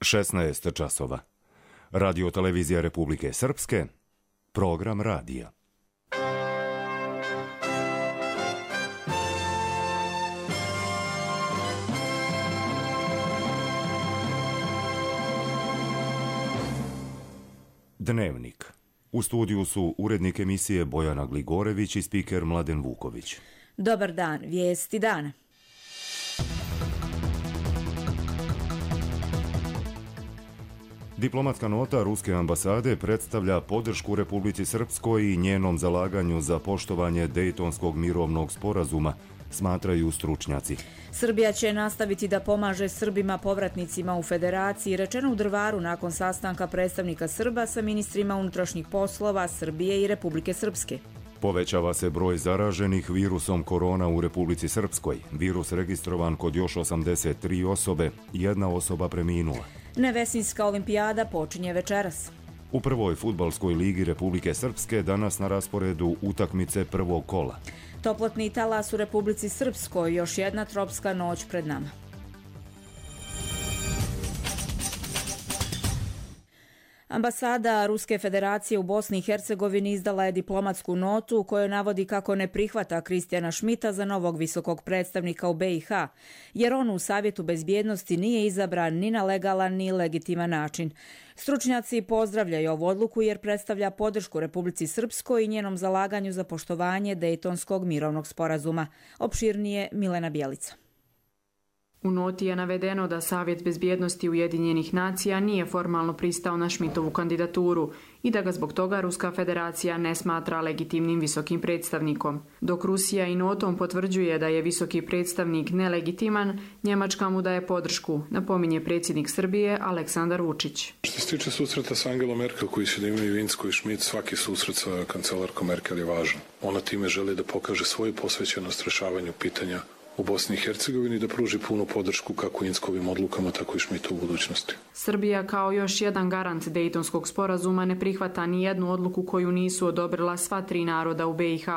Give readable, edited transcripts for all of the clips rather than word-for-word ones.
16 časova. Radio televizija Republike Srpske, program radija. Dnevnik. U studiju su urednik emisije Bojana Gligorević i spiker Mladen Vuković. Dobar dan, vijesti dana. Diplomatska nota Ruske ambasade predstavlja podršku Republici Srpskoj i njenom zalaganju za poštovanje Dejtonskog mirovnog sporazuma, smatraju stručnjaci. Srbija će nastaviti da pomaže Srbima povratnicima u Federaciji, rečeno u Drvaru nakon sastanka predstavnika Srba sa ministrima unutrašnjih poslova Srbije i Republike Srpske. Povećava se broj zaraženih virusom korona u Republici Srpskoj. Virus registrovan kod još 83 osobe, jedna osoba preminula. Nevesinjska olimpijada počinje večeras. U prvoj fudbalskoj ligi Republike Srpske danas na rasporedu utakmice prvog kola. Toplotni talas u Republici Srpskoj, još jedna tropska noć pred nama. Ambasada Ruske federacije u Bosni i Hercegovini izdala je diplomatsku notu u kojoj navodi kako ne prihvata Kristijana Šmita za novog visokog predstavnika u BiH, jer on u Savjetu bezbjednosti nije izabran ni na legalan ni legitiman način. Stručnjaci pozdravljaju ovu odluku jer predstavlja podršku Republici Srpskoj i njenom zalaganju za poštovanje Dejtonskog mirovnog sporazuma. Opširnije Milena Bjelica. U noti je navedeno da Savjet bezbjednosti Ujedinjenih nacija nije formalno pristao na Šmitovu kandidaturu i da ga zbog toga Ruska federacija ne smatra legitimnim visokim predstavnikom. Dok Rusija i notom potvrđuje da je visoki predstavnik nelegitiman, Njemačka mu daje podršku, napominje predsjednik Srbije Aleksandar Vučić. Što se tiče susreta sa Angelom Merkel koji će da imaju Vinsko i Šmit, svaki susret sa kancelarkom Merkel je važan. Ona time želi da pokaže svoju posvećenost rešavanju pitanja u Bosni i Hercegovini, da pruži punu podršku kako Inskovim odlukama, tako i Šmitu u budućnosti. Srbija kao još jedan garant Dejtonskog sporazuma ne prihvata ni jednu odluku koju nisu odobrila sva tri naroda u BiH,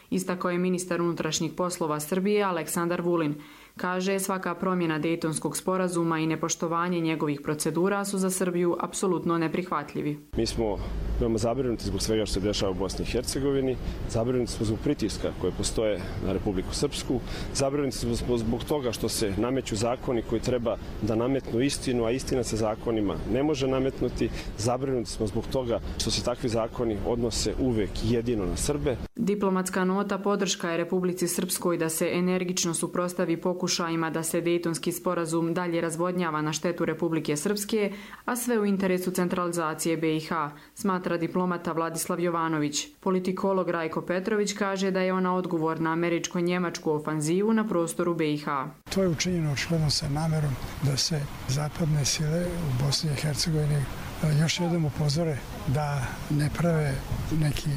istakao je ministar unutrašnjih poslova Srbije Aleksandar Vulin. Kaže, svaka promjena Dejtonskog sporazuma i nepoštovanje njegovih procedura su za Srbiju apsolutno neprihvatljivi. Mi smo veoma zabrinuti zbog svega što se dešava u Bosni i Hercegovini, zabrinuti smo zbog pritiska koje postoje na Republiku Srpsku, zabrinuti smo zbog toga što se nameću zakoni koji treba da nametnu istinu, a istina se zakonima ne može nametnuti. Zabrinuti smo zbog toga što se takvi zakoni odnose uvek jedino na Srbe. Diplomatska nota podrška je Republici Srpskoj da se energično suprotstavi pokušajima da se Dejtonski sporazum dalje razvodnjava na štetu Republike Srpske, a sve u interesu centralizacije BiH, smatra diplomata Vladislav Jovanović. Politikolog Rajko Petrović kaže da je ona odgovor na američko-njemačku ofanzivu na prostoru BiH. To je učinjeno očigledno sa namerom da se zapadne sile u Bosni i Hercegovini još jednom upozore da ne prave neki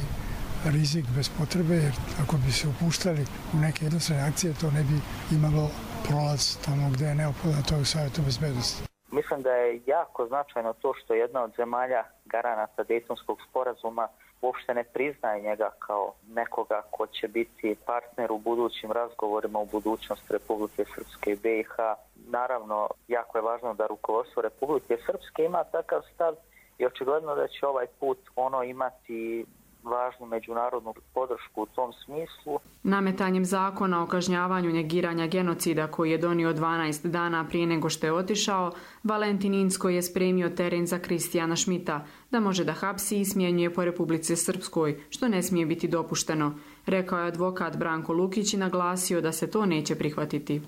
rizik bez potrebe, jer ako bi se upuštali u neke jednostrane akcije, to ne bi imalo prolaz tamo gde je neophodno, to je u Savjetu bezbednosti. Mislim da je jako značajno to što jedna od zemalja garanata Dejtonskog sporazuma uopšte ne priznaje njega kao nekoga ko će biti partner u budućim razgovorima u budućnosti Republike Srpske i BiH. Naravno, jako je važno da rukovodstvo Republike Srpske ima takav stav i očigledno da će ovaj put ono imati važnu međunarodnu podršku u tom smislu. Nametanjem zakona o kažnjavanju negiranja genocida koji je donio 12 dana prije nego što je otišao, Valentin Inzko je spremio teren za Kristijana Šmita, da može da hapsi i smjenjuje po Republici Srpskoj, što ne smije biti dopušteno. Rekao je advokat Branko Lukić i naglasio da se to neće prihvatiti.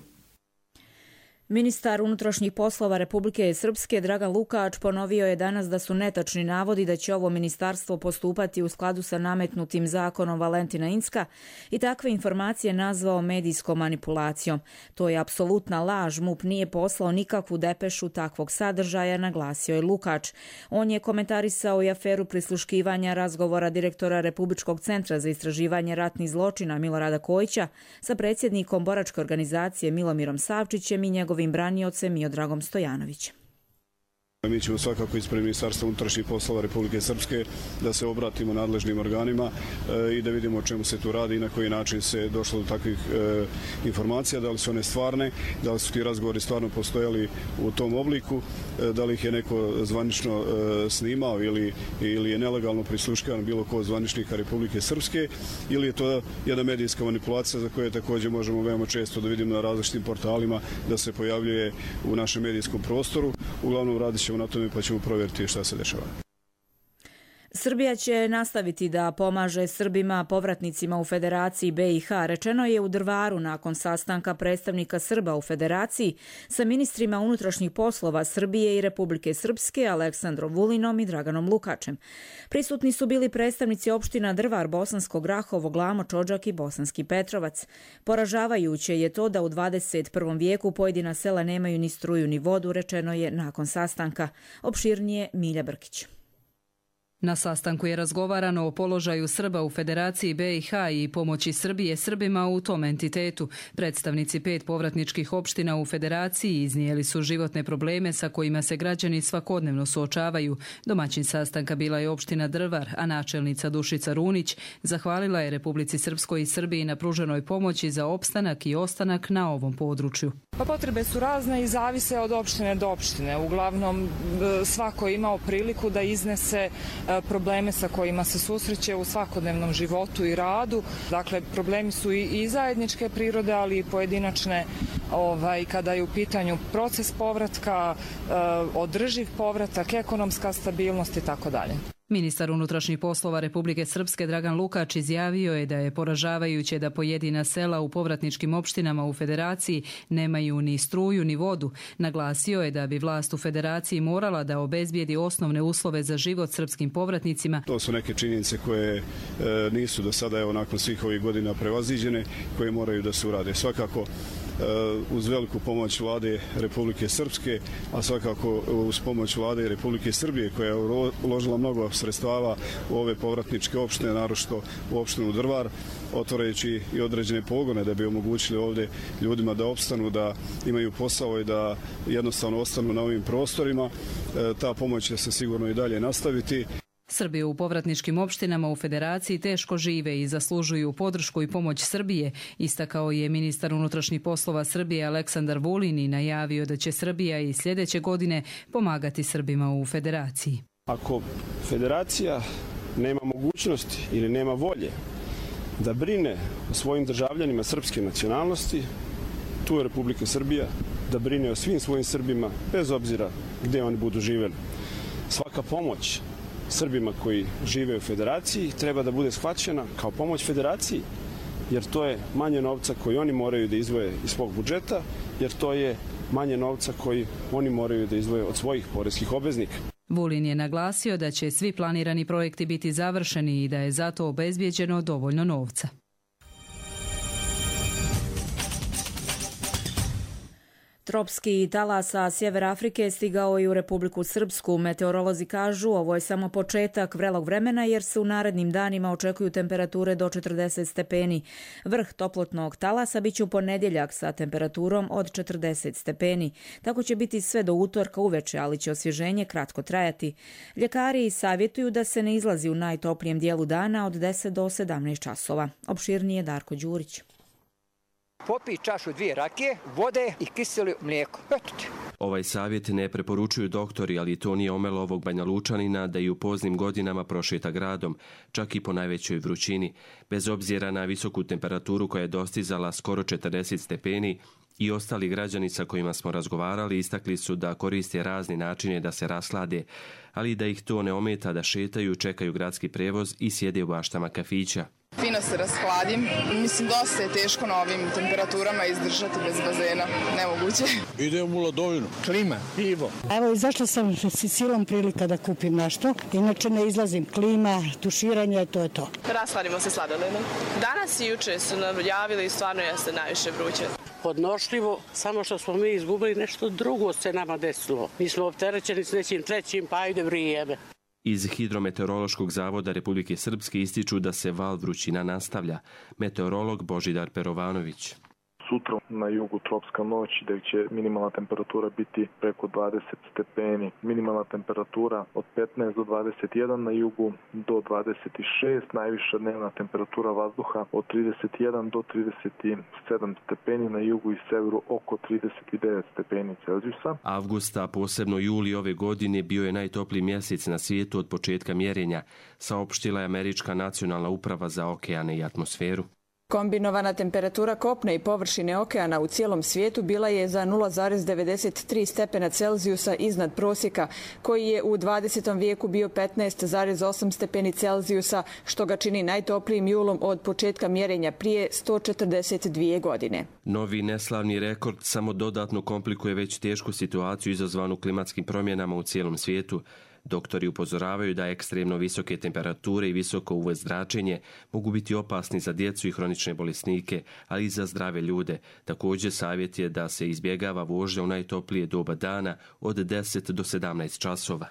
Ministar unutrašnjih poslova Republike Srpske Dragan Lukač ponovio je danas da su netačni navodi da će ovo ministarstvo postupati u skladu sa nametnutim zakonom Valentina Inzka i takve informacije nazvao medijskom manipulacijom. To je apsolutna laž, MUP nije poslao nikakvu depešu takvog sadržaja, naglasio je Lukač. On je komentarisao i aferu prisluškivanja razgovora direktora Republičkog centra za istraživanje ratnih zločina Milorada Kojića sa predsjednikom boračke organizacije Milomirom Savčićem i njegovim braniocem Miodragom Stojanovićem. Mi ćemo svakako ispred Ministarstva unutrašnjih poslova Republike Srpske da se obratimo nadležnim organima i da vidimo o čemu se tu radi i na koji način se došlo do takvih informacija, da li su one stvarne, da li su ti razgovori stvarno postojali u tom obliku, da li ih je neko zvanično snimao ili je nelegalno prisluškivan bilo ko od zvaničnika Republike Srpske, ili je to jedna medijska manipulacija za koje također možemo veoma često da vidimo na različitim portalima da se pojavljuje u našem medijskom prostoru. Uglavnom radit ćemo na tome pa ćemo provjeriti šta se dešava. Srbija će nastaviti da pomaže Srbima povratnicima u Federaciji BiH, rečeno je u Drvaru nakon sastanka predstavnika Srba u Federaciji sa ministrima unutrašnjih poslova Srbije i Republike Srpske Aleksandrom Vulinom i Draganom Lukačem. Prisutni su bili predstavnici opština Drvar, Bosansko Grahovo, Glamoč, Odžak i Bosanski Petrovac. Poražavajuće je to da u 21. vijeku pojedina sela nemaju ni struju ni vodu, rečeno je nakon sastanka. Opširnije Milja Brkić. Na sastanku je razgovarano o položaju Srba u Federaciji BiH i pomoći Srbije Srbima u tom entitetu. Predstavnici 5 povratničkih opština u Federaciji iznijeli su životne probleme sa kojima se građani svakodnevno suočavaju. Domaćin sastanka bila je opština Drvar, a načelnica Dušica Runić zahvalila je Republici Srpskoj i Srbiji na pruženoj pomoći za opstanak i ostanak na ovom području. Pa potrebe su razne i zavise od opštine do opštine. Uglavnom svako je imao priliku da iznese probleme sa kojima se susreće u svakodnevnom životu i radu. Dakle, problemi su i zajedničke prirode, ali i pojedinačne kada je u pitanju proces povratka, održiv povratak, ekonomska stabilnost i tako dalje. Ministar unutrašnjih poslova Republike Srpske Dragan Lukač izjavio je da je poražavajuće da pojedina sela u povratničkim opštinama u Federaciji nemaju ni struju ni vodu. Naglasio je da bi vlast u Federaciji morala da obezbijedi osnovne uslove za život srpskim povratnicima. To su neke činjenice koje nisu do sada, nakon svih ovih godina prevaziđene, koje moraju da se urade. Svakako uz veliku pomoć vlade Republike Srpske, a svakako uz pomoć vlade Republike Srbije koja je uložila mnogo sredstava u ove povratničke opštine, naročito u opštinu Drvar, otvarajući i određene pogone da bi omogućili ovdje ljudima da opstanu, da imaju posao i da jednostavno ostanu na ovim prostorima. Ta pomoć će se sigurno i dalje nastaviti. Srbi u povratničkim opštinama u Federaciji teško žive i zaslužuju podršku i pomoć Srbije, istakao je ministar unutrašnjih poslova Srbije Aleksandar Vulin i najavio da će Srbija i sljedeće godine pomagati Srbima u Federaciji. Ako Federacija nema mogućnosti ili nema volje da brine o svojim državljanima srpske nacionalnosti, tu je Republika Srbija da brine o svim svojim Srbima, bez obzira gdje oni budu živjeli. Svaka pomoć Srbima koji žive u Federaciji treba da bude shvaćena kao pomoć Federaciji, jer to je manje novca koji oni moraju da izdvoje iz svog budžeta, jer to je manje novca koji oni moraju da izdvoje od svojih poreskih obveznika. Vulin je naglasio da će svi planirani projekti biti završeni i da je zato obezbijeđeno dovoljno novca. Tropski talas sa sjevera Afrike stigao i u Republiku Srpsku. Meteorolozi kažu ovo je samo početak vrelog vremena jer se u narednim danima očekuju temperature do 40 stepeni. Vrh toplotnog talasa biće u ponedjeljak sa temperaturom od 40 stepeni. Tako će biti sve do utorka uveče, ali će osvježenje kratko trajati. Ljekari savjetuju da se ne izlazi u najtoplijem dijelu dana od 10 do 17 časova. Opširnije Darko Đurić. Popij čašu 2 rakije, vode i kiselo mlijeko. Eto ti. Ovaj savjet ne preporučuju doktori, ali to nije omelo ovog Banja Lučanina da i u poznim godinama prošeta gradom, čak i po najvećoj vrućini. Bez obzira na visoku temperaturu koja je dostizala skoro 40 stepeni, i ostali građani sa kojima smo razgovarali istakli su da koriste razne načine da se rashlade, ali da ih to ne ometa da šetaju, čekaju gradski prevoz i sjede u baštama kafića. Fino se rashladim. Mislim, dosta je teško na ovim temperaturama izdržati bez bazena. Nemoguće. Idem u Ladovinu. Klima, pivo. Evo, izašla sam s silom prilika da kupim nešto. Inače ne izlazim. Klima, tuširanje, to je to. Rasladimo se sladoledom. Danas i juče su nam javili i stvarno jeste najviše vruće. Podnošljivo, samo što smo mi izgubili nešto drugo se nama desilo. Mi smo opterećeni s nečim trećim, pa ide vrijeme. Iz Hidrometeorološkog zavoda Republike Srpske ističu da se val vrućina nastavlja. Meteorolog Božidar Perovanović. sutra na jugu tropska noć gdje će minimalna temperatura biti preko 20 stepeni. Minimalna temperatura od 15 do 21 na jugu do 26, najviša dnevna temperatura vazduha od 31 do 37 stepeni na jugu i severu oko 39 stepeni Celzijusa. Avgusta, posebno juli ove godine, bio je najtopliji mjesec na svijetu od početka mjerenja, saopštila je Američka nacionalna uprava za okeane i atmosferu. Kombinovana temperatura kopna i površine okeana u cijelom svijetu bila je za 0,93 stepena Celzijusa iznad prosjeka, koji je u 20. vijeku bio 15,8 stepeni Celzijusa, što ga čini najtoplijim julom od početka mjerenja prije 142 godine. Novi neslavni rekord samo dodatno komplikuje već tešku situaciju izazvanu klimatskim promjenama u cijelom svijetu. Doktori upozoravaju da ekstremno visoke temperature i visoko UV zračenje mogu biti opasni za djecu i hronične bolesnike, ali i za zdrave ljude. Također savjet je da se izbjegava vožnja u najtoplije doba dana od 10 do 17 časova.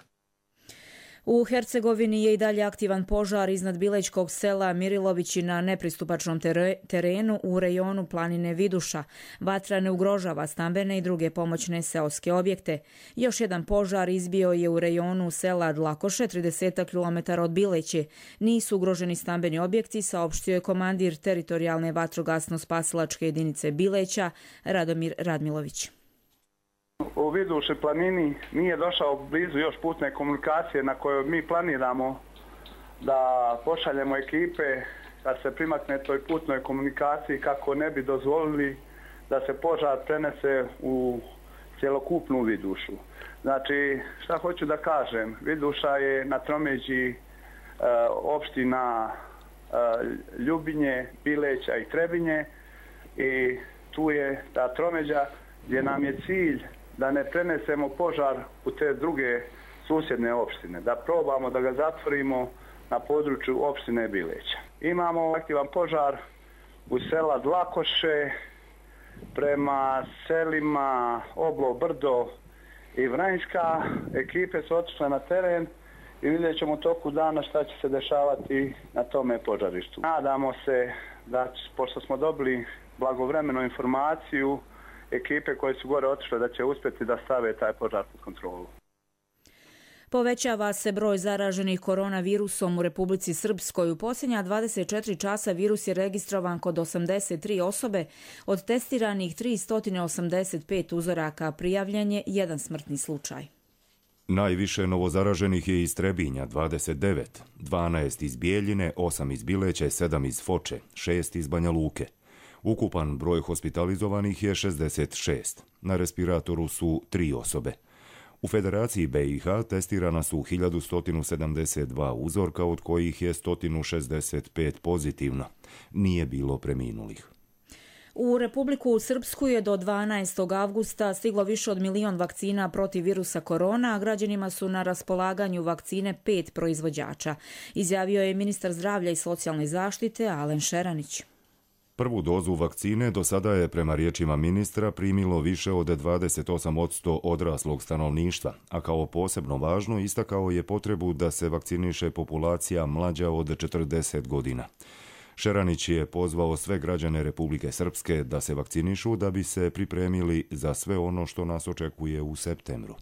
U Hercegovini je i dalje aktivan požar iznad Bilećkog sela Mirilovići na nepristupačnom terenu u rejonu planine Viduša. Vatra ne ugrožava stambene i druge pomoćne seoske objekte. Još jedan požar izbio je u rejonu sela Dlakoše, 30 km od Bileće. Nisu ugroženi stambeni objekti, saopštio je komandir teritorijalne vatrogasno-spasilačke jedinice Bileća, Radomir Radmilović. U Viduši planini nije došao blizu još putne komunikacije na kojoj mi planiramo da pošaljemo ekipe da se primakne toj putnoj komunikaciji kako ne bi dozvolili da se požar prenese u cjelokupnu Vidušu. Znači, šta hoću da kažem, Viduša je na tromeđi opština Ljubinje, Bileća i Trebinje i tu je ta tromeđa gdje nam je cilj da ne prenesemo požar u te druge susjedne opštine, da probamo da ga zatvorimo na području opštine Bileća. Imamo aktivan požar u sela Dlakoše prema selima Oblo, Brdo i Vranjska. Ekipe su otišle na teren i vidjet ćemo u toku dana šta će se dešavati na tome požarištu. Nadamo se da, pošto smo dobili blagovremenu informaciju, ekipe koje su gore otišle da će uspjeti da stave taj požar pod kontrolu. Povećava se broj zaraženih koronavirusom u Republici Srpskoj. U posljednja 24 časa virus je registrovan kod 83 osobe, od testiranih 385 uzoraka, prijavljen je jedan smrtni slučaj. Najviše novozaraženih je iz Trebinja, 29, 12 iz Bijeljine, 8 iz Bileća, 7 iz Foče, 6 iz Banja Luke. Ukupan broj hospitalizovanih je 66. Na respiratoru su 3 osobe. U Federaciji BiH testirana su 1172 uzorka, od kojih je 165 pozitivno. Nije bilo preminulih. U Republiku Srpsku je do 12. avgusta stiglo više od 1 milion vakcina protiv virusa korona, a građanima su na raspolaganju vakcine 5 proizvođača, izjavio je ministar zdravlja i socijalne zaštite Alen Šeranić. Prvu dozu vakcine do sada je, prema riječima ministra, primilo više od 28% odraslog stanovništva, a kao posebno važno istakao je potrebu da se vakciniše populacija mlađa od 40 godina. Šeranić je pozvao sve građane Republike Srpske da se vakcinišu da bi se pripremili za sve ono što nas očekuje u septembru.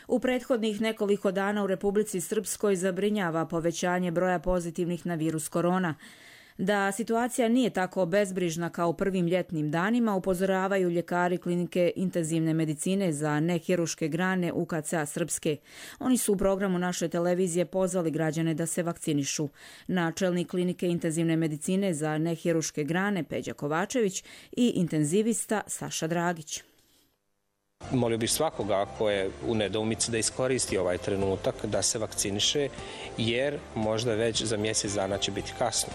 U prethodnih nekoliko dana u Republici Srpskoj zabrinjava povećanje broja pozitivnih na virus korona. Da situacija nije tako bezbrižna kao u prvim ljetnim danima, upozoravaju ljekari klinike intenzivne medicine za nehiruške grane UKC-a Srpske. Oni su u programu naše televizije pozvali građane da se vakcinišu. Načelnik klinike intenzivne medicine za nehiruške grane Peđa Kovačević i intenzivista Saša Dragić. Molio bih svakoga ko je u nedoumici da iskoristi ovaj trenutak da se vakciniše, jer možda već za mjesec dana će biti kasno.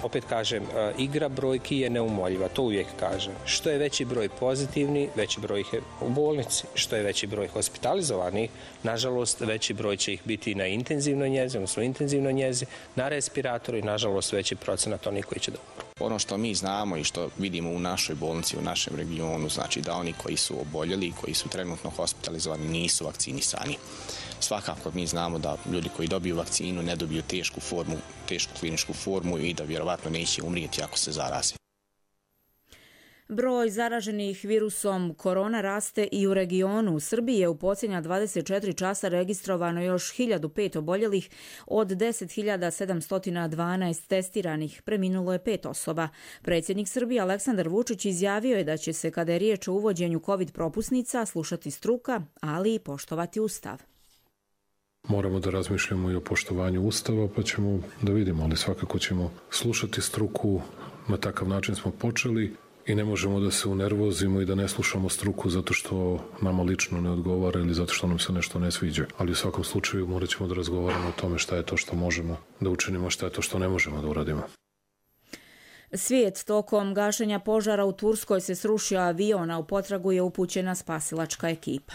Opet kažem, igra brojki je neumoljiva, to uvijek kažem. Što je veći broj pozitivni, veći broj ih je u bolnici. Što je veći broj hospitalizovanih, nažalost, veći broj će ih biti na intenzivnoj njezi, odnosno intenzivnoj njezi, na respiratoru i, nažalost, veći procenat onih koji će da umru. Ono što mi znamo i što vidimo u našoj bolnici, u našem regionu, znači da oni koji su oboljeli, koji su trenutno hospitalizovani, nisu vakcinisani. Svakako mi znamo da ljudi koji dobiju vakcinu ne dobiju tešku kliničku formu i da vjerovatno neće umrijeti ako se zaraze. Broj zaraženih virusom korona raste i u regionu. U Srbiji je u posljednja 24 časa registrovano još 1005 oboljelih od 10.712 testiranih. Preminulo je 5 osoba. Predsjednik Srbije Aleksandar Vučić izjavio je da će se, kada je riječ o uvođenju COVID propusnica, slušati struka, ali i poštovati Ustav. Moramo da razmišljamo i o poštovanju Ustava, pa ćemo da vidimo, ali svakako ćemo slušati struku. Na takav način smo počeli. I ne možemo da se unervozimo i da ne slušamo struku zato što nama lično ne odgovara ili zato što nam se nešto ne sviđa. Ali u svakom slučaju morat ćemo da razgovaramo o tome šta je to što možemo da učinimo, šta je to što ne možemo da uradimo. Svijet tokom gašenja požara u Turskoj se srušio avion, a u potragu je upućena spasilačka ekipa.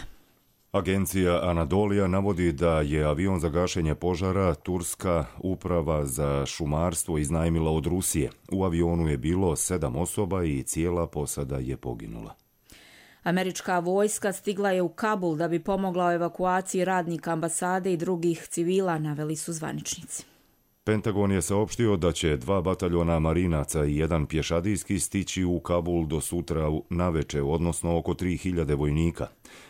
Agencija Anadolija navodi da je avion za gašenje požara Turska uprava za šumarstvo iznajmila od Rusije. U avionu je bilo 7 osoba i cijela posada je poginula. Američka vojska stigla je u Kabul da bi pomogla u evakuaciji radnika ambasade i drugih civila, naveli su zvaničnici. Pentagon je saopštio da će 2 bataljona marinaca i 1 pješadijski stići u Kabul do sutra naveče, odnosno oko 3000 vojnika.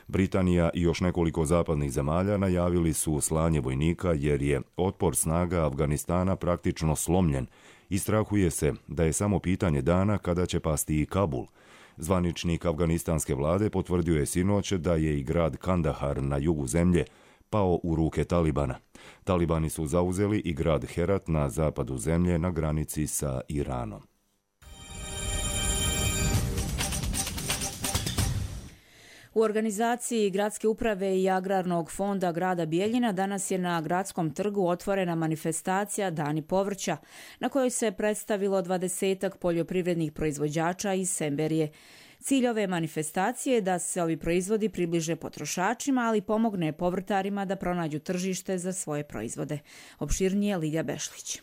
Britanija i još nekoliko zapadnih zemalja najavili su slanje vojnika jer je otpor snaga Afganistana praktično slomljen i strahuje se da je samo pitanje dana kada će pasti i Kabul. Zvaničnik afganistanske vlade potvrdio je sinoć da je i grad Kandahar na jugu zemlje pao u ruke Talibana. Talibani su zauzeli i grad Herat na zapadu zemlje na granici sa Iranom. U organizaciji Gradske uprave i Agrarnog fonda grada Bijeljina danas je na Gradskom trgu otvorena manifestacija Dani povrća, na kojoj se predstavilo 20-ak poljoprivrednih proizvođača iz Semberije. Cilj ove manifestacije je da se ovi proizvodi približe potrošačima, ali pomogne povrtarima da pronađu tržište za svoje proizvode. Opširnije Lidija Bešlić.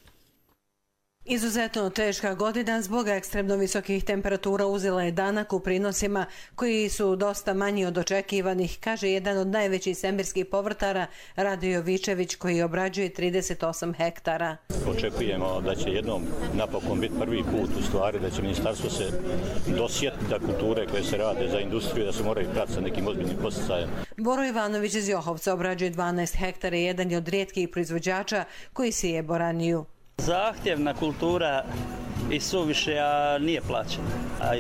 Izuzetno teška godina zbog ekstremno visokih temperatura uzela je danak u prinosima koji su dosta manji od očekivanih, kaže jedan od najvećih semberskih povrtara Rade Jovičević koji obrađuje 38 hektara. Očekujemo da će jednom napokon biti prvi put u stvari da će ministarstvo se dosjetiti da kulture koje se rade za industriju da se moraju pratiti sa nekim ozbiljnim posticajem. Boro Ivanović iz Johovca obrađuje 12 hektara i jedan je od rijetkih proizvođača koji sije boraniju. Zahtjevna kultura i suviše, a nije plaćena, a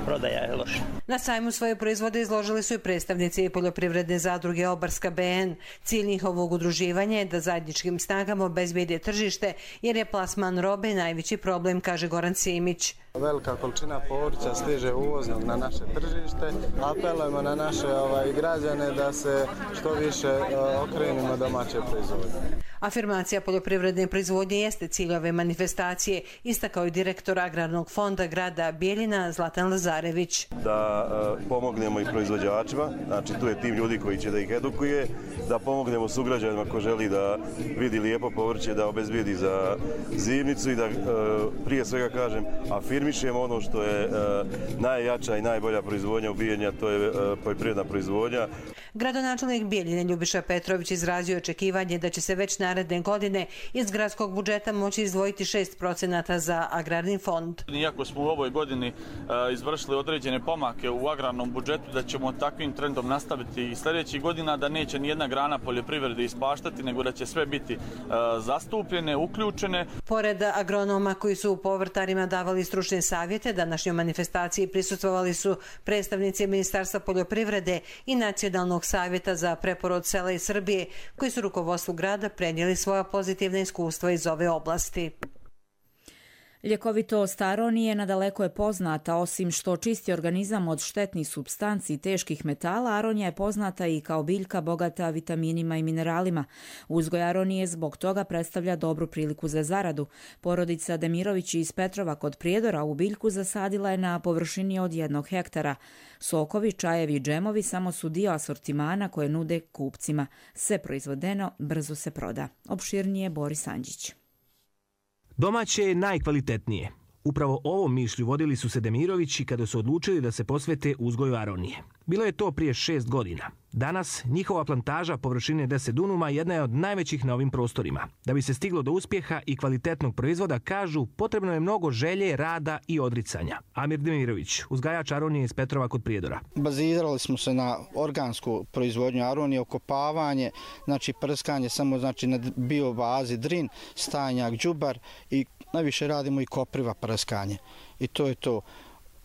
prodaja je loša. Na sajmu svoje proizvode izložili su i predstavnici poljoprivredne zadruge Obarska BN. Cilj njihovog udruživanja je da zajedničkim snagama obezbede tržište, jer je plasman robe najveći problem, kaže Goran Simić. Velika količina povrća stiže uvoznog na naše tržište. Apelujemo na naše građane da se što više okrenimo domaće proizvodnje. Afirmacija poljoprivredne proizvodnje jeste cilj ove manifestacije, istakao je direktor Agrarnog fonda grada Bijeljina Zlatan Lazarević. Da pomognemo i proizvođačima, znači tu je tim ljudi koji će da ih edukuje, da pomognemo sugrađanima ko želi da vidi lijepo povrće, da obezbijedi za zimnicu i da prije svega kažem afirmišemo ono što je najjača i najbolja proizvodnja u Bijeljini, a to je poljoprivredna proizvodnja. Gradonačelnik Bijeljine Ljubiša Petrović izrazio očekivanje da će se već naredne godine iz gradskog budžeta moći izdvojiti 6% za agrarni fond. Iako smo u ovoj godini izvršili određene pomake u agrarnom budžetu, da ćemo takvim trendom nastaviti i sljedećih godina, da neće nijedna grana poljoprivrede ispaštati, nego da će sve biti zastupljene, uključene. Pored agronoma koji su povrtarima davali stručne savjete, današnjoj manifestaciji prisustvovali su predstavnici Ministarstva poljoprivrede i Nacionalnog savjeta za preporod sela iz Srbije, koji su rukovodstvu grada prenijeli svoja pozitivna iskustva iz ove oblasti. Ljekovitost aronije nadaleko je poznata, osim što čisti organizam od štetnih supstanci i teških metala, aronija je poznata i kao biljka bogata vitaminima i mineralima. Uzgoj aronije zbog toga predstavlja dobru priliku za zaradu. Porodica Demirović iz Petrova kod Prijedora u biljku zasadila je na površini od 1 hektara. Sokovi, čajevi i džemovi samo su dio asortimana koje nude kupcima. Sve proizvodeno brzo se proda. Opširnije Boris Anđić. Domaće je najkvalitetnije. Upravo ovom mišlju vodili su se Demirovići kada su odlučili da se posvete uzgoju aronije. Bilo je to prije 6 godina. Danas njihova plantaža površine 10 dunuma jedna je od najvećih na ovim prostorima. Da bi se stiglo do uspjeha i kvalitetnog proizvoda, kažu, potrebno je mnogo želje, rada i odricanja. Amir Demirović, uzgajač aronije iz Petrova kod Prijedora. Bazirali smo se na organsku proizvodnju aronije, okopavanje, znači prskanje samo znači na biobazi drin, stajnjak, đubar i najviše radimo i kopriva prskanje. I to je to.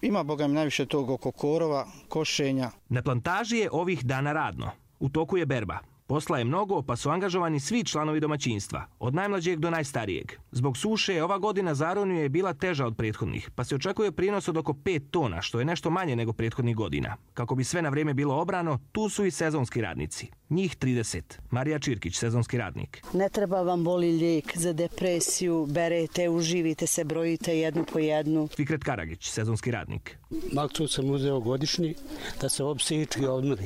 Ima, boga mi, najviše tog oko korova, košenja. Na plantaži je ovih dana radno. U toku je berba. Posla je mnogo, pa su angažovani svi članovi domaćinstva, od najmlađeg do najstarijeg. Zbog suše ova godina za aroniju je bila teža od prethodnih, pa se očekuje prinos od oko 5 tona, što je nešto manje nego prethodnih godina. Kako bi sve na vrijeme bilo obrano, tu su i sezonski radnici. Njih 30. Marija Čirkić, sezonski radnik. Ne treba vam boli lijek za depresiju, berete, uživite se, brojite jednu po jednu. Fikret Karagić, sezonski radnik. Malcu sam uzeo godišnji da se psihički odmori.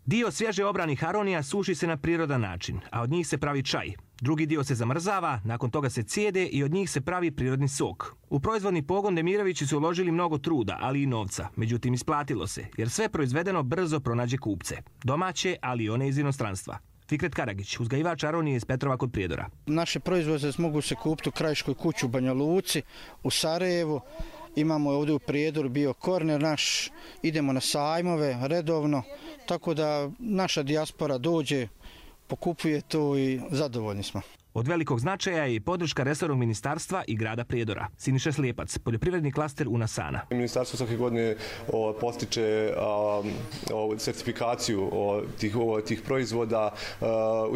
Dio svježe obranih aronija suši se na prirodan način, a od njih se pravi čaj. Drugi dio se zamrzava, nakon toga se cijede i od njih se pravi prirodni sok. U proizvodni pogon Demirovići su uložili mnogo truda, ali i novca. Međutim, isplatilo se, jer sve proizvedeno brzo pronađe kupce. Domaće, ali i one iz inostranstva. Fikret Karagić, uzgajivač aronije iz Petrova kod Prijedora. Naše proizvode mogu se kupiti u Krajiškoj kući u Banja Luci, u Sarajevu. Imamo ovdje u Prijedoru bio korner naš, idemo na sajmove redovno, tako da naša dijaspora dođe, pokupuje to i zadovoljni smo. Od velikog značaja je i podrška resornog ministarstva i grada Prijedora. Siniša Slijepac, poljoprivredni klaster Unasana. Ministarstvo svake godine postiče sertifikaciju tih proizvoda,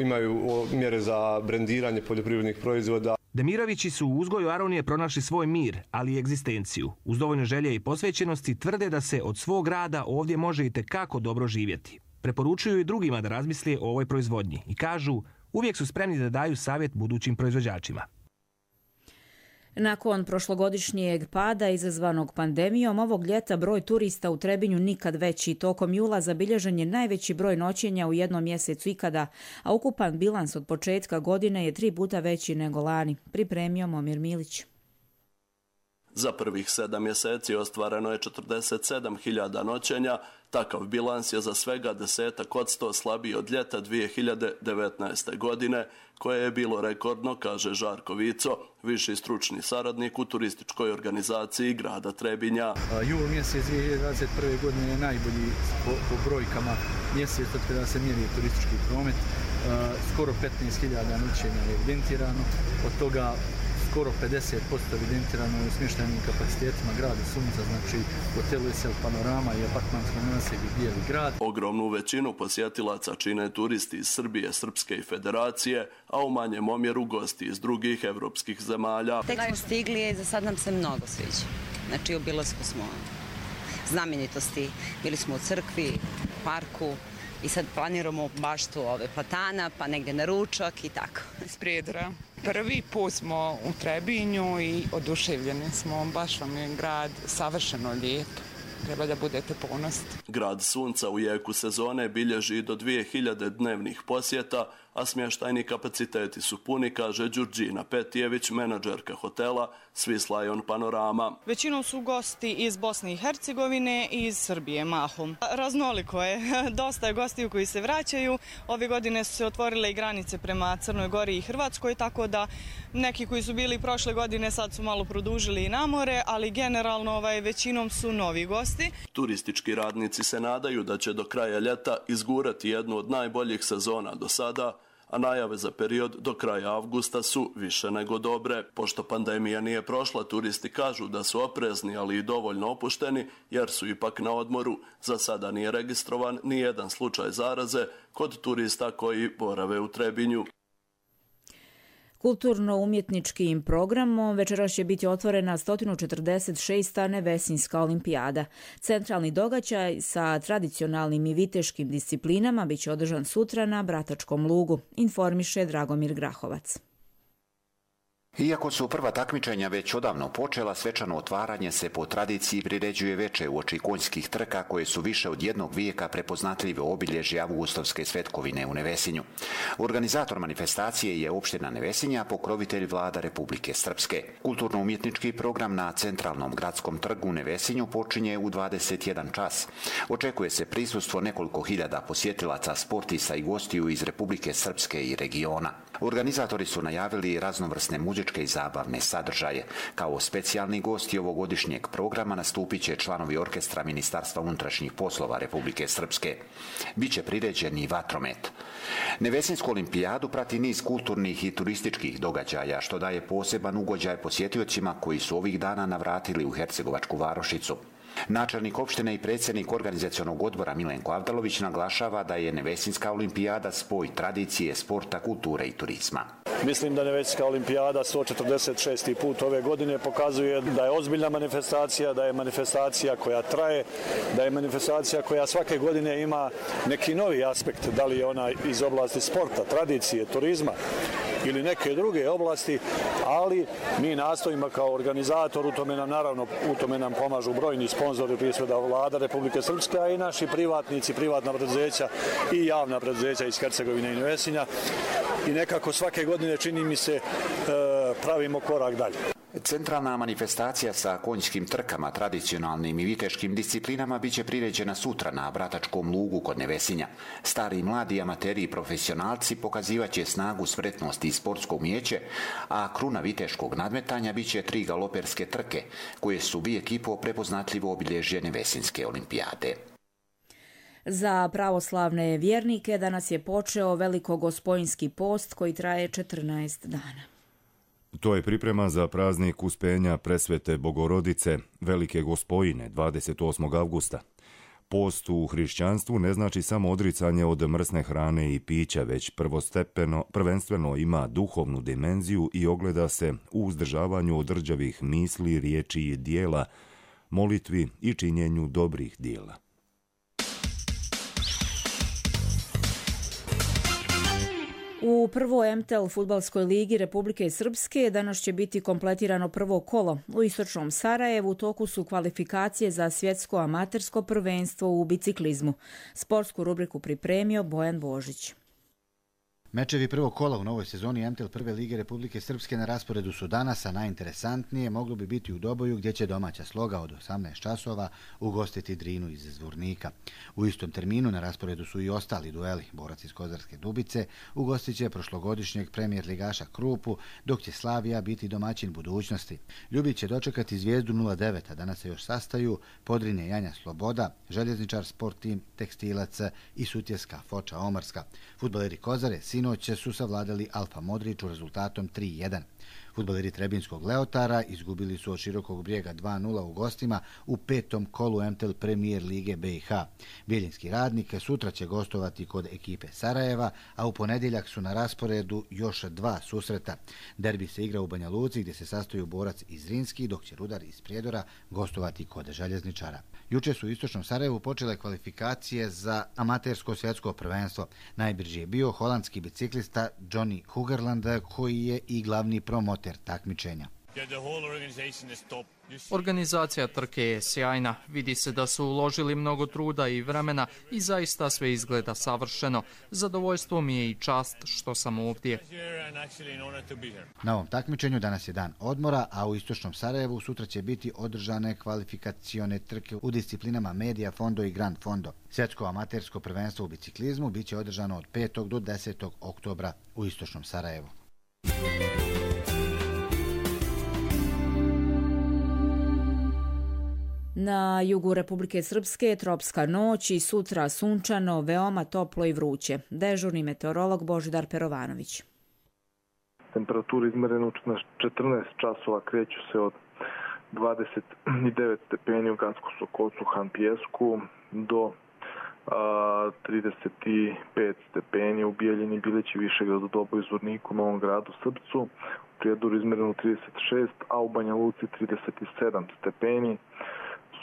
imaju mjere za brendiranje poljoprivrednih proizvoda. Demirovići su u uzgoju aronije pronašli svoj mir, ali i egzistenciju. Uz dovoljno želje i posvećenosti tvrde da se od svog rada ovdje može i tekako dobro živjeti. Preporučuju i drugima da razmisle o ovoj proizvodnji i kažu, uvijek su spremni da daju savjet budućim proizvođačima. Nakon prošlogodišnjeg pada izazvanog pandemijom, ovog ljeta broj turista u Trebinju nikad veći. Tokom jula zabilježen je najveći broj noćenja u jednom mjesecu ikada, a ukupan bilans od početka godine je 3 puta veći nego lani. Pripremio Momir Milić. Za prvih 7 mjeseci ostvareno je 47.000 noćenja. Takav bilans je za svega 10% slabiji od ljeta 2019. godine, koje je bilo rekordno, kaže Žarko Vico, viši stručni saradnik u turističkoj organizaciji grada Trebinja. Jul mjesec 2021. godine je najbolji po brojkama mjesec od kada se mjeri turistički promet. Skoro 15.000 noćenja je evidentirano, od toga skoro 50% evidentirano je u smještajnim kapacitetima grada Sunca, znači hotelu Esel Panorama i apartmanskom naselju Bijeli grad. Ogromnu većinu posjetilaca čine turisti iz Srbije, Srpske i Federacije, a u manjem omjeru gosti iz drugih evropskih zemalja. Tek smo stigli i za sad nam se mnogo sviđa. Znači u obilasku smo znamenitosti, bili smo u crkvi, parku, i sad planiramo baštu ove platana, pa negdje na ručak i tako. Iz Prijedora. Prvi put smo u Trebinju i oduševljeni smo. Baš vam je grad savršeno lijep. Treba da budete ponosni. Grad Sunca u jeku sezone bilježi do 2000 dnevnih posjeta, a smještajni kapaciteti su puni, kaže Đurđina Petijević, menadžerka hotela Swiss Lion Panorama. Većinom su gosti iz Bosne i Hercegovine i iz Srbije mahom. Raznoliko je, dosta je gostiju koji se vraćaju. Ove godine su se otvorile i granice prema Crnoj Gori i Hrvatskoj, tako da neki koji su bili prošle godine sad su malo produžili i na more, ali generalno većinom su novi gosti. Turistički radnici se nadaju da će do kraja ljeta izgurati jednu od najboljih sezona do sada, a najave za period do kraja avgusta su više nego dobre. Pošto pandemija nije prošla, turisti kažu da su oprezni, ali i dovoljno opušteni, jer su ipak na odmoru. Za sada nije registrovan ni jedan slučaj zaraze kod turista koji borave u Trebinju. Kulturno-umjetničkim programom večeras će biti otvorena 146. Nevesinjska olimpijada. Centralni događaj sa tradicionalnim i viteškim disciplinama biće održan sutra na Bratačkom lugu, informiše Dragomir Grahovac. Iako su prva takmičenja već odavno počela, svečano otvaranje se po tradiciji priređuje veče uoči konjskih trka koje su više od jednog vijeka prepoznatljive obilježje avgustovske svetkovine u Nevesinju. Organizator manifestacije je opština Nevesinja, pokrovitelj Vlada Republike Srpske. Kulturno-umjetnički program na centralnom gradskom trgu u Nevesinju počinje u 21 čas. Očekuje se prisustvo nekoliko hiljada posjetilaca, sportista i gostiju iz Republike Srpske i regiona. Organizatori su najavili raznovrsne muzičke i zabavne sadržaje. Kao specijalni gosti ovogodišnjeg programa nastupit će članovi orkestra Ministarstva unutrašnjih poslova Republike Srpske. Biće priređen i vatromet. Nevesinsku olimpijadu prati niz kulturnih i turističkih događaja, što daje poseban ugođaj posjetiocima koji su ovih dana navratili u Hercegovačku varošicu. Načelnik opštine i predsjednik organizacionog odbora Milenko Avdalović naglašava da je Nevesinska olimpijada spoj tradicije, sporta, kulture i turizma. Mislim da Nevesinska olimpijada 146. put ove godine pokazuje da je ozbiljna manifestacija, da je manifestacija koja traje, da je manifestacija koja svake godine ima neki novi aspekt, da li je ona iz oblasti sporta, tradicije, turizma ili neke druge oblasti, ali mi nastojimo kao organizator, u tome nam pomažu brojni sponzori, prije svega Vlada Republike Srpske, a i naši privatnici, privatna preduzeća i javna preduzeća iz Hercegovine i Nevesinja. I nekako svake godine, čini mi se, pravimo korak dalje. Centralna manifestacija sa konjskim trkama, tradicionalnim i viteškim disciplinama biće priređena sutra na Bratačkom lugu kod Nevesinja. Stari i mladi amateri i profesionalci pokazivaće snagu, spretnost i sportsko umijeće, a kruna viteškog nadmetanja biće 3 galoperske trke, koje su bi ekipo prepoznatljivo obilježje Nevesinske olimpijade. Za pravoslavne vjernike danas je počeo Velikogospojinski post koji traje 14 dana. To je priprema za praznik Uspenja Presvete Bogorodice Velike Gospojine 28. avgusta. Post u hrišćanstvu ne znači samo odricanje od mrsne hrane i pića, već prvenstveno ima duhovnu dimenziju i ogleda se u uzdržavanju od rđavih misli, riječi i dijela, molitvi i činjenju dobrih dijela. U prvoj MTEL fudbalskoj ligi Republike Srpske danas će biti kompletirano prvo kolo. U istočnom Sarajevu u toku su kvalifikacije za svjetsko amatersko prvenstvo u biciklizmu. Sportsku rubriku pripremio Bojan Božić. Mečevi prvog kola u novoj sezoni MTEL prve lige Republike Srpske na rasporedu su danas, a najinteresantnije moglo bi biti u Doboju gdje će domaća Sloga od 18 časova ugostiti Drinu iz Zvornika. U istom terminu na rasporedu su i ostali dueli. Borac iz Kozarske Dubice ugostit će prošlogodišnjeg premijer ligaša Krupu, dok će Slavija biti domaćin Budućnosti. Ljubić će dočekati Zvijezdu 09, a danas se još sastaju Podrinje Janja Sloboda, Željezničar Sport Tim Tekstilac i Sutjeska Foča Omarska. Fudbaleri Kozare sinoć su savladali Alfa Modriću rezultatom 3-1. Fudbaleri Trebinskog Leotara izgubili su od Širokog Brijega 2-0 u gostima u petom kolu MTEL Premier Lige BiH. Bijeljinski Radnik sutra će gostovati kod ekipe Sarajeva, a u ponedjeljak su na rasporedu još 2 susreta. Derbi se igra u Banja Luci gdje se sastoju Borac iz Zrinski, dok će Rudar iz Prijedora gostovati kod Željezničara. Juče su u istočnom Sarajevu počele kvalifikacije za amatersko svjetsko prvenstvo. Najbrži je bio holandski biciklista Johnny Hugerland, koji je i glavni promoter takmičenja. Organizacija trke je sjajna. Vidi se da su uložili mnogo truda i vremena i zaista sve izgleda savršeno. Zadovoljstvo mi je i čast što sam ovdje. Na ovom takmičenju danas je dan odmora, a u istočnom Sarajevu sutra će biti održane kvalifikacione trke u disciplinama Media Fondo i Grand Fondo. Svjetsko amatersko prvenstvo u biciklizmu biće održano od 5. do 10. oktobra u istočnom Sarajevu. Na jugu Republike Srpske tropska noć i sutra sunčano, veoma toplo i vruće. Dežurni meteorolog Božidar Perovanović. Temperature izmerene na 14 časova kreću se od 29 stepeni u Gansku Sokolcu, Han Pijesku do 35 stepeni u Bijeljini, Bileći, Višegradu, Doboju, Zvorniku, Novom Gradu, Srpcu. U Prijedoru izmereno 36, a u Banja Luci 37 stepeni.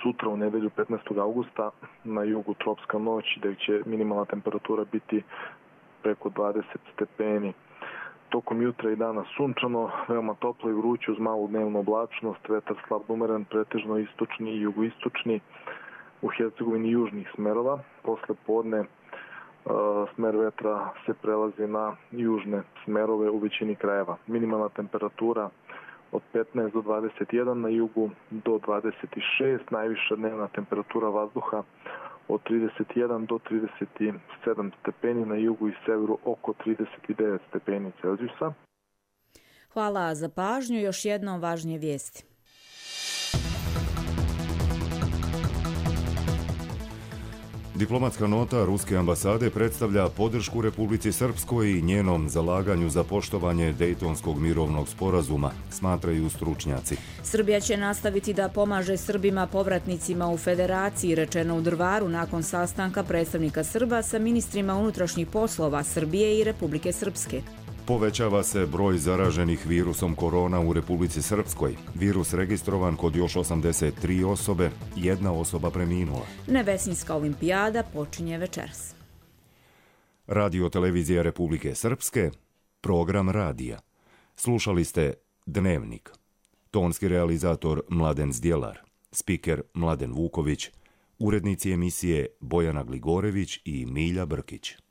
Sutra u nedelju 15. augusta na jugu tropska noć, gdje će minimalna temperatura biti preko 20 stepeni. Tokom jutra i dana sunčano, veoma toplo i vruće uz malu dnevnu oblačnost, vetar slab umeren, pretežno istočni i jugoistočni, u Hercegovini južnih smerova. Posle podne smer vetra se prelazi na južne smerove u većini krajeva. Minimalna temperatura od 15 do 21 na jugu do 26, najviša dnevna temperatura vazduha od 31 do 37 stepeni, na jugu i severu oko 39 stepeni Celzijusa. Hvala za pažnju. Još jednom važnije vijesti. Diplomatska nota Ruske ambasade predstavlja podršku Republici Srpskoj i njenom zalaganju za poštovanje Dejtonskog mirovnog sporazuma, smatraju stručnjaci. Srbija će nastaviti da pomaže Srbima povratnicima u Federaciji, rečeno u Drvaru nakon sastanka predstavnika Srba sa ministrima unutrašnjih poslova Srbije i Republike Srpske. Povećava se broj zaraženih virusom korona u Republici Srpskoj. Virus registrovan kod još 83 osobe, jedna osoba preminula. Nevesinska olimpijada počinje večeras. Radio televizija Republike Srpske, program radija. Slušali ste Dnevnik. Tonski realizator Mladen Zdjelar, spiker Mladen Vuković, urednici emisije Bojana Gligorević i Milja Brkić.